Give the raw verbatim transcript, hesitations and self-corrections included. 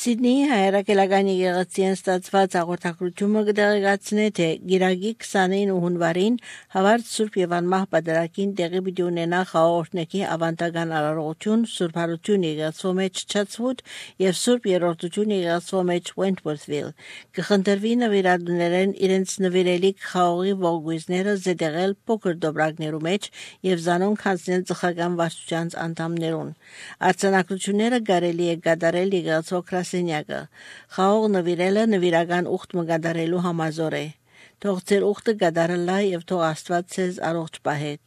Սիդնեի հայրաքելական եկեղեցին ստացված հաղորդակցությունը կդեղեկացնի, թե գիրագի քսանինը հունվարին հավարտ Սուրբ եւ անմահ պատարագին տեղի պիտի ունենա խաղաղորդների ավանդական արարողություն Սուրբ Հարություն եկեղեցու մեջ Չացվուդ եւ Սուրբ Երորդություն եկեղեցու մեջ Wentworthville։ Կխնդրվի նվիրատուներեն իրենց նվիրելիք խաղողի ողգույզները զետեղել փոքր դոբրակներու մեջ եւ զանոնք հանձնել ծխական վարչության անդամներուն։ Արձանագրությունները կարելի է կատարել եկեղեցու գրասենյակը։ Խաղող նվիրելը նվիրական ուխտ մը կատարելու համազոր է։ Թող ձեր ուխտը կատարելա եւ թող Աստված ձեզ առողջ պահե։